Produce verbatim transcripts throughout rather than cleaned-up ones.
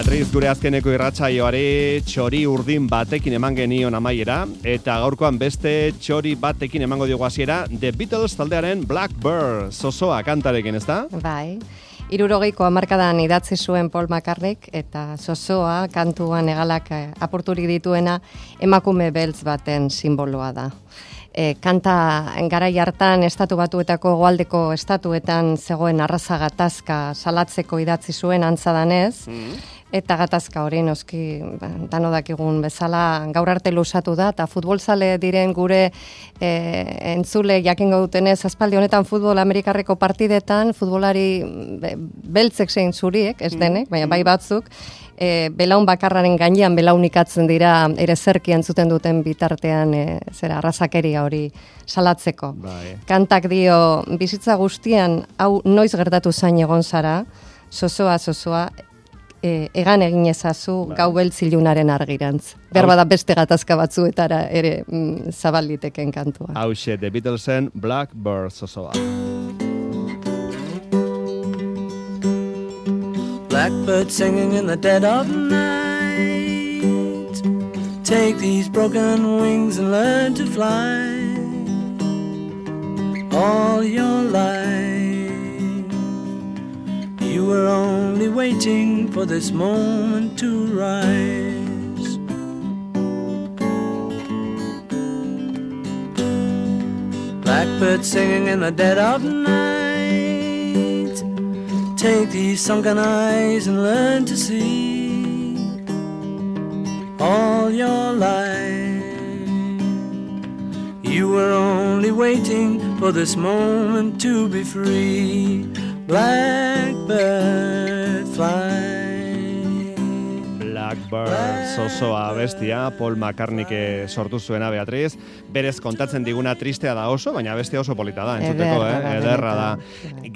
Beatriz, gure azkeneko irratsaioari txori urdin batekin eman genion amaiera, eta gaurkoan beste txori batekin emango diogu hasiera, The Beatles taldearen Blackbird, zozoa kantarekin, ezta? Bai. Hirurogeiko hamarkadan idatzi zuen Paul McCartneyk eta zozoa kantuan egalak apurturik dituena emakume beltz baten simboloa da. E, kanta garai hartan estatu batuetako goaldeko estatuetan zegoen arraza gatazka salatzeko idatzi zuen antza danez, mm. eta gatazka hori noski dano dakigun bezala gaur arte luzatu da, eta futbolzale diren gure e, entzule jakingo dutenez, aspaldi honetan futbol amerikarreko partidetan, futbolari beltzek zein zuriek, ez denek, baina bai batzuk, E, belaun bakarraren gainean belaunikatzen dira ere zerki entzuten duten bitartean e, zera arrazakeria hori salatzeko. Bai. Kantak dio, bizitza guztian hau noiz gertatu zain egon zara, zozoa, zozoa, e, egan egin ezazu bai. Gau beltzilunaren argirantz. Berba da beste gatazka batzuetara ere mm, zabaliteken kantua. Hauxe, The Beatlesen Blackbird zozoa. Blackbird singing in the dead of night. Take these broken wings and learn to fly. All your life you were only waiting for this moment to rise. Blackbird singing in the dead of night. Take these sunken eyes and learn to see. All your life you were only waiting for this moment to be free. Blackbird fly. Blackbird, zozoa bestia, Paul McCartneyk sortu zuena, Beatriz. Berez kontatzen diguna tristea da oso, baina bestia oso polita da, entzuteko, eh? Ederra da.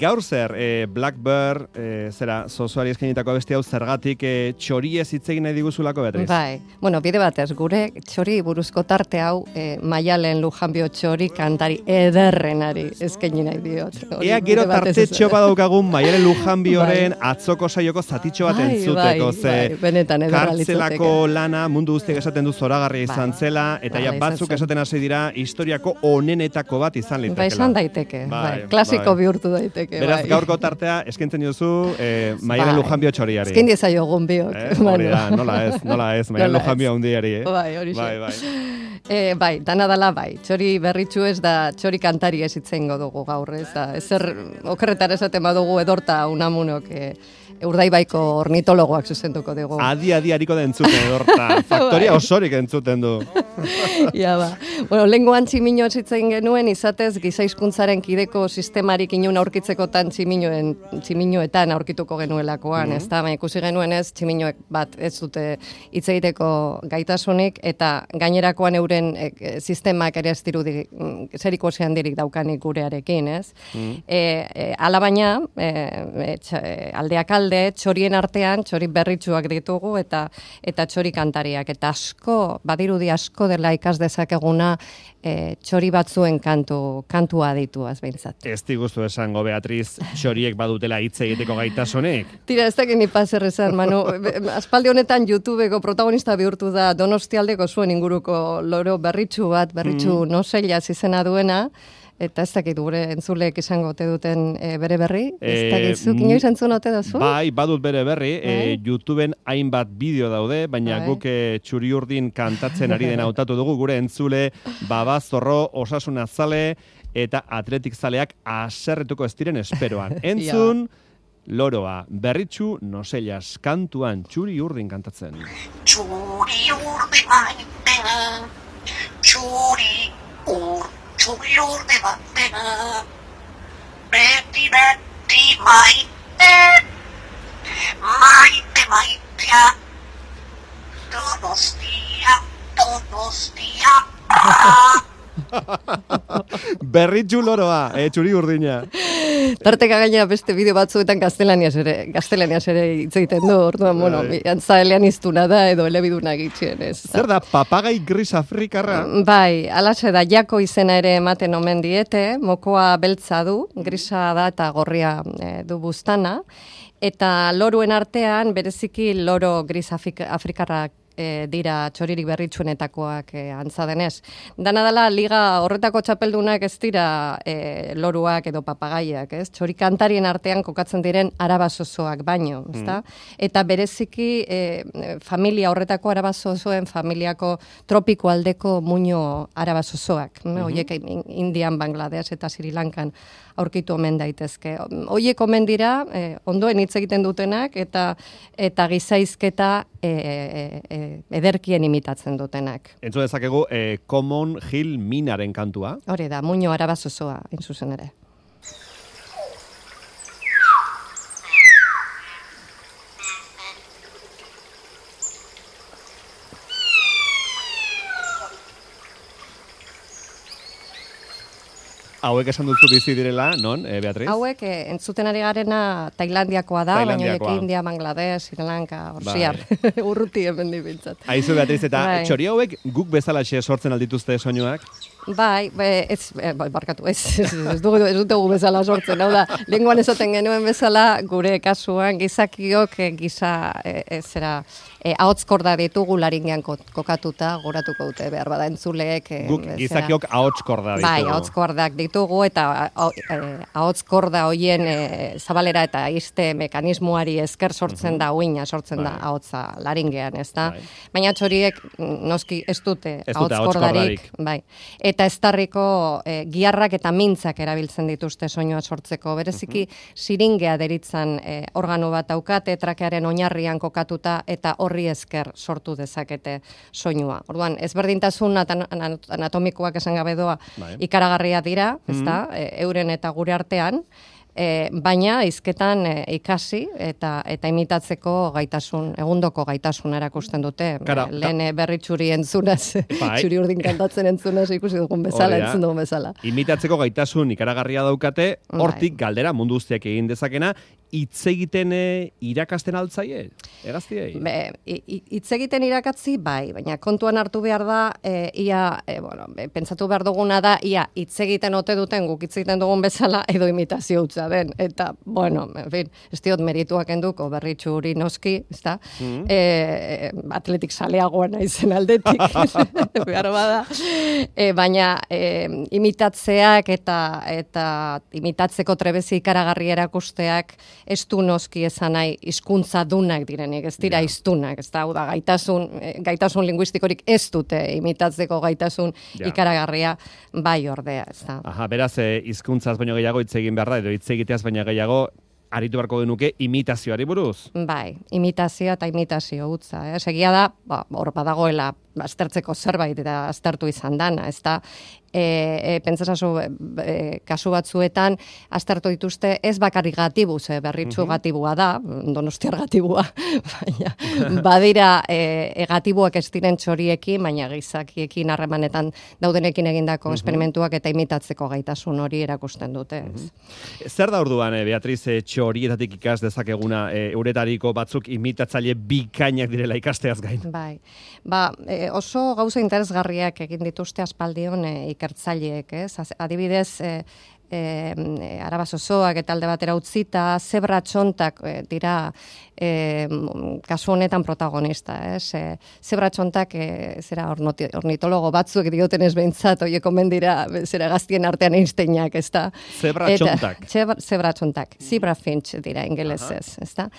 Gaur zer, eh, Blackbird, eh, zera, zozoari eskainitako bestia hau zergatik eh, txoriez hitz egin nahi diguzulako, Beatriz? Bai, bueno, bide batez, gure txori buruzko tarte hau eh, Maialen Lujanbio txori kantari ederrenari eskaini nahi diot. Ea gero tartetxo badaukagun Maialen Lujanbioren bai. Atzoko saioko zatitxo bat entzuteko, bai, bai, benetan kartzelako lana mundu guztiek esaten du zoragarria izan bai, zela, eta ja batzuk esaten hasi dira historiako onenetako bat izan litekela. Bai, izan daiteke, bai, bai, klasiko bai. Bihurtu daiteke. Beraz, bai. Gaurko tartea eskentzen diozu eh, Maialen bai. Lujanbio txoriari. Esken diezaiogun biok. Eh, hori da, nola ez, nola ez, Maialen Lujanbio handiari. Eh? Bai, hori bai, bai. E, bai, dana dala bai, txori berritxu ez da txori kantari ez itzengo dugu gaur, ez da, ezer okerretar esaten badugu edorta unamunok e, Urdaibaiko ornitologoak zuzenduko dugu. Adi, adi, hariko da entzuten edorta, faktoria osorik entzuten du. Ja, ba. Bueno, lenguan tximino zitzen genuen, izatez gizaizkuntzaren kideko sistemarik inun aurkitzekotan tximinoen, tximinoetan aurkituko genuelakoan, mm-hmm. ez da, ikusi genuen ez, tximinoek bat ez dute hitz egiteko gaitasunik, eta gainerakoan euren e, sistemak ere ez dirudi zeriko zean dirik daukanik gurearekin, ez? Mm-hmm. E, e, alabaina, e, e, tx, e, aldeak alde, txorien artean, txori berritsuak ditugu, eta eta txori kantariak, eta asko, badirudi asko dela ikas dezakeguna e, txori batzuen kantu, kantua dituaz behintzat. Ez diguztu esango, Beatriz, txoriek badutela hitz egiteko gaitasunik? Tira, ez dakit ni paser esan, Manu. Aspaldi honetan YouTubeko protagonista bihurtu da Donostialdeko zuen inguruko loro berritsu bat, berritsu mm. noselaz izena duena, eta ez dakit gure entzuleek izango ote duten e, bere berri? Ez dakit zuk inoiz entzun ote duzu? Bai, badut bere berri. E, YouTubeen hainbat bideo daude, baina bai. Guk e, txuri urdin kantatzen ari dena hautatu dugu, gure entzule babazorro, osasuna zale eta atletik zaleak aserretuko ez diren esperoan. Entzun, loroa, berritxu nosellas kantuan txuri urdin kantatzen. Txuri urdin maite, txuri urdin. Txuri urde batena, beti beti maite, maite maitea, Donostia, Donostia. Berritxu loroa, eh, txuri urdina. Tarteka gaina beste bideo batzuetan gaztelaniaz ere, gaztelaniaz ere hitz egiten du, orduan, bueno, antza eleaniztuna da edo elebiduna gitxien, ez. Zer da, papagai gris afrikarra? Bai, alaxe da, jako izena ere ematen omen diete, mokoa beltza du, grisa da eta gorria e, du buztana, eta loruen artean, bereziki loro gris afrikarrak E, dira txoririk berritsuenetakoak e, antza denez. Dana dela, liga horretako txapeldunak ez dira e, loruak edo papagaiak, ez? Txorikantarien artean kokatzen diren arabazozoak baino, ezta? Mm. Eta bereziki e, familia horretako arabazozoen familiako tropiko aldeko muino arabazozoak. Mm -hmm. Oiek Indian, Bangladesh eta Sri Lankan aurkitu omen daitezke. Oiek omen dira, e, ondoen hitz egiten dutenak, eta eta gizaizketa e, e, e, ederkien imitatzen dutenak. Entzu dezakegu, e, Common Hill Minaren kantua. Hori da, muino arabazozoa, in zuzen ere. Hauek esan duzu bizi direla, non, e, Beatriz? Hauek, e, entzuten ari garena Tailandiakoa da, baina hauek India, Bangladesh, Sri Lanka, Orsiar, bai. Urruti hemen dibintzat. Aizu, Beatriz, eta bai. Txori hauek guk bezalaxe sortzen aldituzte soinuak? Bai, be, ez, e, barkatu, ez, ez, ez, dugu, ez dugu bezala sortzen, hau da, lenguan esaten genuen bezala, gure kasuan, gizakiok, e, giza, e, e, zera, e, ahotskorda ditugu laringean kokatuta, goratuko dute, behar bada entzuleek. E, guk gizakiok ahotskorda ditugu. Bai, ahotskordak ditugu, eta ahotskorda hoien e, zabalera eta izte mekanismoari esker sortzen uh-huh. da, uina sortzen bai. Da ahotsa laringean, ez da? Bai. Baina txoriek, noski, ez dute ahotskordarik, bai. Eta estarriko e, giarrak eta mintzak erabiltzen dituzte soinua sortzeko. Bereziki, uh-huh. siringea deritzan e, organo bat daukate, trakearen oinarrian kokatuta, eta horri esker sortu dezakete soinua. Orduan, ezberdintasun anatomikoak esan gabe doa bai. Ikaragarria dira, uh-huh. ezta, e, euren eta gure artean, E, baina hizketan e, ikasi eta eta imitatzeko gaitasun, egundoko gaitasun erakusten dute. Kara, lehen berritxuri entzunaz, bai. Txuri urdin kantatzen entzunaz ikusi dugun bezala, entzun dugun bezala. Imitatzeko gaitasun ikaragarria daukate, hortik bai. Galdera mundu guztiak egin dezakena, hitz egiten irakasten altzaie, egaztiei? Hitz egiten irakatzi, bai, baina kontuan hartu behar da, e, ia, e, bueno, pentsatu behar duguna da, ia, hitz egiten ote duten, guk hitz egiten dugun bezala, edo imitazio utza den, eta, bueno, en fin, ez diot merituak enduko, berritxu hori noski, ez da, mm. e, atletik saleagoa naizen aldetik, behar bada, e, baina e, imitatzeak eta, eta imitatzeko trebezi ikaragarri erakusteak, ez du noski esan nahi hizkuntza dunak direnik, ez dira hiztunak, ez da, hau da, gaitasun, gaitasun linguistikorik ez dute imitatzeko gaitasun ja. Ikaragarria bai ordea, ez da. Aha, beraz, hizkuntzaz e, baino gehiago hitz egin behar da, edo hitz egiteaz baina gehiago, aritu beharko genuke imitazioari buruz. Bai, imitazioa eta imitazio hutza. Eh? Segia da, ba, hor badagoela aztertzeko zerbait eta aztertu izan dana, ez da, e, e, pentsasazu e, kasu batzuetan aztertu dituzte ez bakarrik gatibuz, e, berritxu uh-huh. gatibua da, donostiar gatibua, baina badira e, e, gatibuak ez diren txoriekin, baina gizakiekin harremanetan daudenekin egindako uh-huh. esperimentuak eta imitatzeko gaitasun hori erakusten dute. Uh-huh. Zer da orduan, e, Beatriz, e, txorietatik ikas dezakeguna, e, euretariko batzuk imitatzaile bikainak direla ikasteaz gain? Bai, ba, e, oso gauza interesgarriak egin dituzte aspaldion e, ikertzaileek, ez? Adibidez, e, e, arabazozoak eta alde batera utzita, zebra txontak e, dira e, kasu honetan protagonista, ez? E, zebra txontak e, zera ornitologo batzuek dioten ez behintzat, oie komen dira zera gaztien artean Einsteinak, ez da? Zebra txontak. Zebra txontak, zebra finch dira ingelesez, ez da?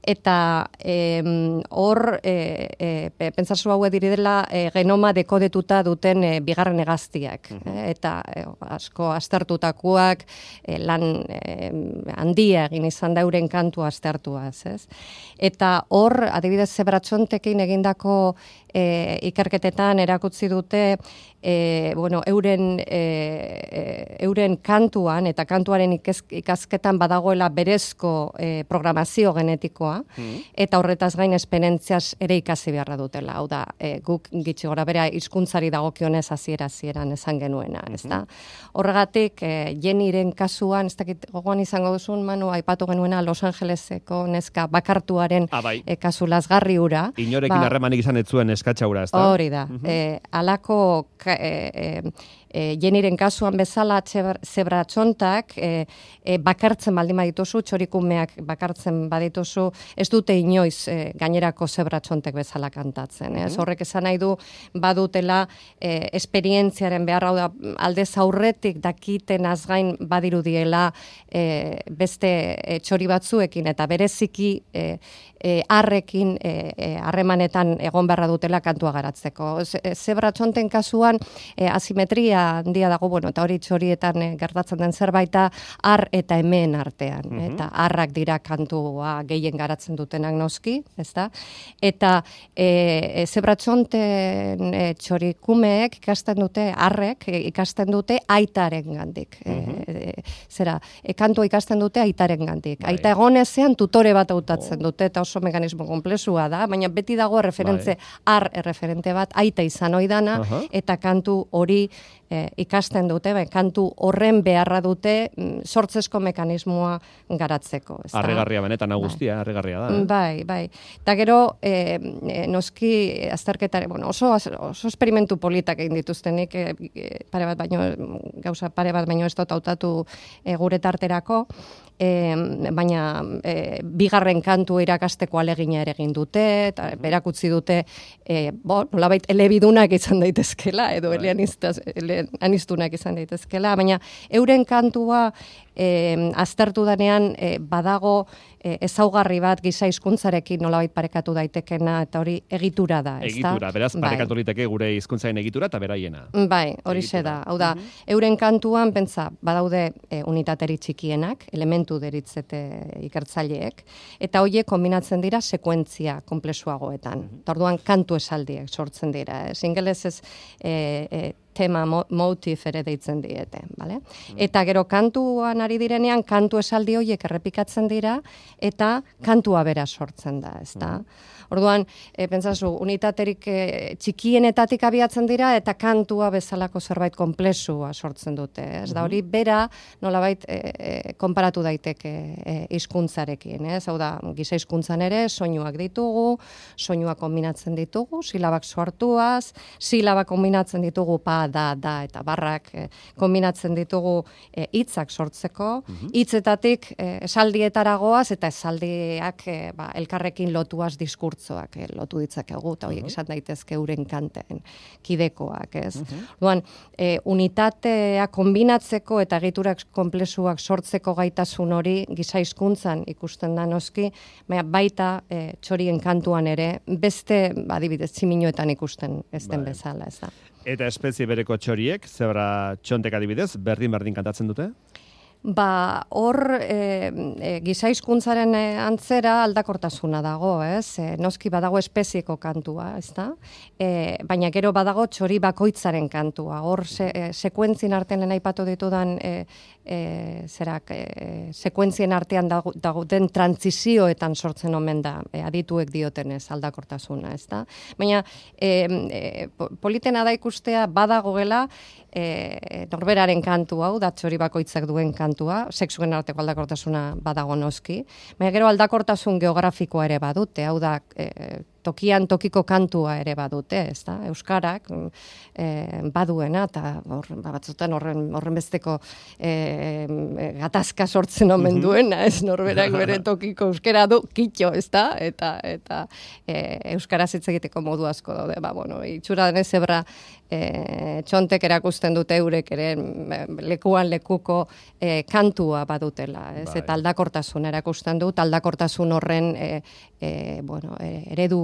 Eta hor, e, e, pentsazu hau diridela e, genoma dekodetuta duten e, bigarren hegaztiak. Uh-huh. e, eta e, asko aztertutakoak e, lan e, handia egin izan dauren kantu aztertuaz, ez? Eta hor, adibidez zebratxontekin egindako e, ikerketetan erakutsi dute e, bueno, euren, e, euren kantuan eta kantuaren ikaz, ikasketan badagoela berezko e, programazio genetikoa, mm. eta horretaz gain esperientziaz ere ikasi beharra dutela. Hau da, e, guk gitxi gora bera hizkuntzari dagokionez hasiera hasieran esan genuena, mm-hmm. ezta? Horregatik, e, Jennyren kasuan, ez dakit gogoan izango duzun, Manu, aipatu genuena Los Angeleseko neska bakartuaren ah, bai. e, kasu lazgarri hura. Inorekin harremanik ba, izan ez zuen eskatxaura, ez da? Hori da. Uh -huh. e, alako e, e, e, Jennyren kasuan bezala zebra txontak e, e, bakartzen baldin badituzu, txorikumeak bakartzen badituzu, ez dute inoiz e, gainerako zebra txontek bezala kantatzen. Ez? Uh-huh. Horrek esan nahi du badutela e, esperientziaren beharra da aldez aurretik dakiten azgain badirudiela e, beste e, txori batzuekin eta bereziki e, e, arrekin harremanetan e, e, egon beharra dutela kantua garatzeko. Zebra txonten kasuan e, asimetria handia dago, bueno, eta hori txorietan e, gertatzen den zerbaita ar eta hemen artean. Mm -hmm. Eta arrak dira kantua gehien garatzen dutenak noski, ezta? Eta e, e, zebra txonten e, txorikumeek ikasten dute, arrek e, ikasten dute aitaren gandik. Mm -hmm. e, e, zera, e, kantua ikasten dute aitaren gandik. Bai. Aita egonezean tutore bat hautatzen oh. dute, eta oso mekanismo komplexua da, baina beti dago referentze, bai. ar erreferente bat, aita izan oidana, uh -huh. eta kantu hori e, ikasten dute, bai, kantu horren beharra dute mm, sortzesko mekanismoa garatzeko. Arregarria benetan agustia, arregarria da. Eh? Bai, bai. Eta gero, e, e, noski azterketare, bueno, oso, oso esperimentu politak egin dituztenik, e, pare bat baino, gauza pare bat baino ez dut hautatu e, gure tarterako, E, baina e, bigarren kantu irakasteko alegina ere egin dute, eta berakutzi dute, e, bo, nolabait elebidunak izan daitezkela, edo eleaniztunak izan daitezkela, baina euren kantua e, aztertu danean e, badago e, ezaugarri bat giza hizkuntzarekin nolabait parekatu daitekena, eta hori egitura da, ez da? Egitura, beraz, parekatu liteke gure hizkuntzaren egitura eta beraiena. Bai, hori ze da. Hau da, euren kantuan, pentsa, badaude e, unitateri txikienak, elementu deritzete ikertzaileek, eta horiek kombinatzen dira sekuentzia komplexuagoetan. Mm -hmm. Orduan kantu esaldiek sortzen dira. Ez ingelez ez e, e, tema mo, motif ere deitzen diete, bale? Mm -hmm. Eta gero kantuan ari direnean kantu esaldi horiek errepikatzen dira eta kantua bera sortzen da, ezta? Mm -hmm. Orduan, e, pentsazu, unitaterik e, txikienetatik abiatzen dira eta kantua bezalako zerbait konplexua sortzen dute. Ez da hori bera nolabait e, e, konparatu daiteke hizkuntzarekin, ez? Hau da, giza hizkuntzan ere soinuak ditugu, soinuak kombinatzen ditugu, silabak sortuaz, silabak kombinatzen ditugu pa, da, da eta barrak e, kombinatzen ditugu hitzak e, sortzeko, hitzetatik e, esaldietaragoaz eta esaldiak e, ba, elkarrekin lotuaz diskurtzoak e, lotu ditzakegu, eta horiek izan daitezke euren kanten kidekoak, ez? Orduan, e, unitatea kombinatzeko eta egiturak konplexuak sortzeko gaitasun hori giza hizkuntzan ikusten da noski, baina baita e, txorien kantuan ere beste, adibidez, tximinoetan ikusten ez den bezala, ez da. Eta espezie bereko txoriek, zebra txontek adibidez, berdin-berdin kantatzen dute? Ba, hor e, e, giza hizkuntzaren e, antzera aldakortasuna dago, ez? E, noski badago espezieko kantua, ez da? E, baina gero badago txori bakoitzaren kantua. Hor se, e, sekuentzien artean lehen aipatu ditudan e, e, zerak, e, sekuentzien artean dago, dago den trantzizioetan sortzen omen da, e, adituek diotenez aldakortasuna, ez da? Baina e, e, politena da ikustea badagoela e, norberaren kantu hau, da txori bakoitzak duen kantua, kantua, sexuen arteko aldakortasuna badago noski, baina gero aldakortasun geografikoa ere badute, hau da, e, tokian tokiko kantua ere badute, ez da? Euskarak e, baduena, eta hor, batzutan horren, horren besteko e, gatazka sortzen omen duena, ez norberak bere tokiko euskara du, kitxo, ez da? Eta, eta e, euskaraz hitz egiteko modu asko daude, ba, bueno, itxura denez zebra e, txontek erakusten dute eurek ere lekuan lekuko e, kantua badutela, ez? Bai. Eta aldakortasun erakusten dut, aldakortasun horren e, e, bueno, e, eredu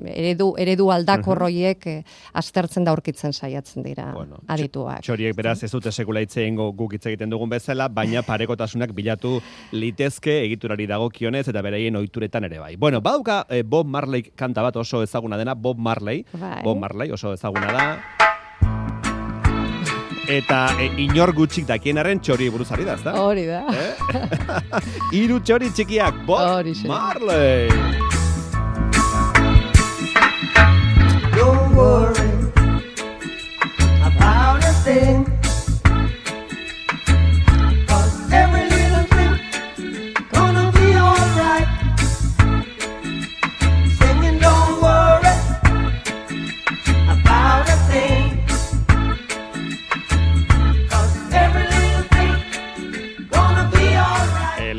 eredu, eredu aldakorroiek eh, aztertzen da aurkitzen saiatzen dira bueno, adituak. Txoriek beraz ez dute sekula hitz egingo guk hitz egiten dugun bezala, baina parekotasunak bilatu litezke egiturari dagokionez eta beraien ohituretan ere bai. Bueno, badauka eh, Bob Marley kanta bat oso ezaguna dena, Bob Marley. Bai. Bob Marley oso ezaguna da. Eta e, inor gutxik dakienaren txori buruz ari da, ezta? Hori da. Eh? Hiru txori txikiak, Bob Marley. Don't worry about a thing.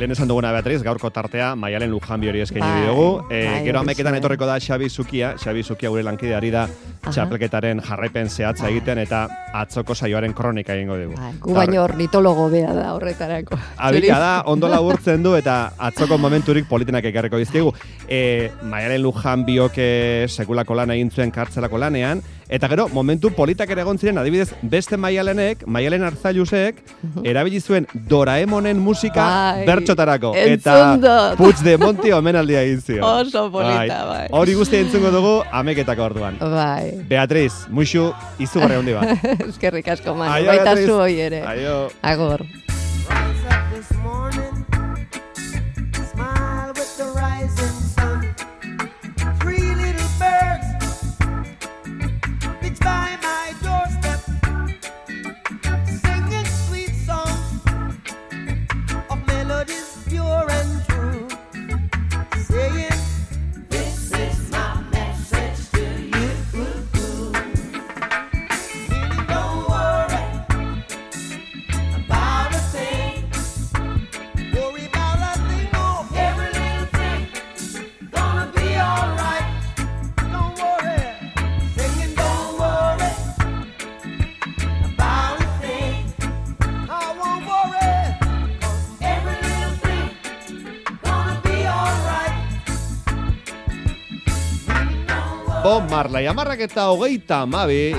lehen esan duguna Beatriz, gaurko tartea Maialen Lujanbi hori eskaini bai, dugu. E, bai, gero ameketan bai. etorriko da Xabi Zukia, Xabi Zukia gure lankide ari da txapelketaren jarraipen zehatza egiten eta atzoko saioaren kronika egingo dugu. Bai, gu baino ornitologo bea da horretarako. Abila da, ondo laburtzen du eta atzoko momenturik politenak ekarriko dizkigu. E, Maialen Lujanbiok sekulako lan egin zuen kartzelako lanean, eta gero, momentu politak ere egon ziren, adibidez, beste Maialenek, Maialen Arzailusek, erabili zuen Doraemonen musika bai, bertxotarako. Eta Puigdemonti omenaldia egin zion. Oso polita, bai. Hori guztia entzungo dugu ameketako orduan. Bai. Beatriz, muixu, izugarri handi bat. Eskerrik asko, Manu. Aio, Baita Beatriz. zu hoi ere. Aio. Agor. Rise up this morning, smile with the rising sun. Three little birds pitch by my doorstep, singing sweet songs of melodies pure and true, saying, "This is my message to you." Meaning, don't worry about a thing. Worry about a thing, oh, every little thing gonna be alright. Don't worry, singing, don't worry about a thing. I won't worry, 'cause every little thing gonna be alright. Bob Marley, amarrak eta hogeita amabi,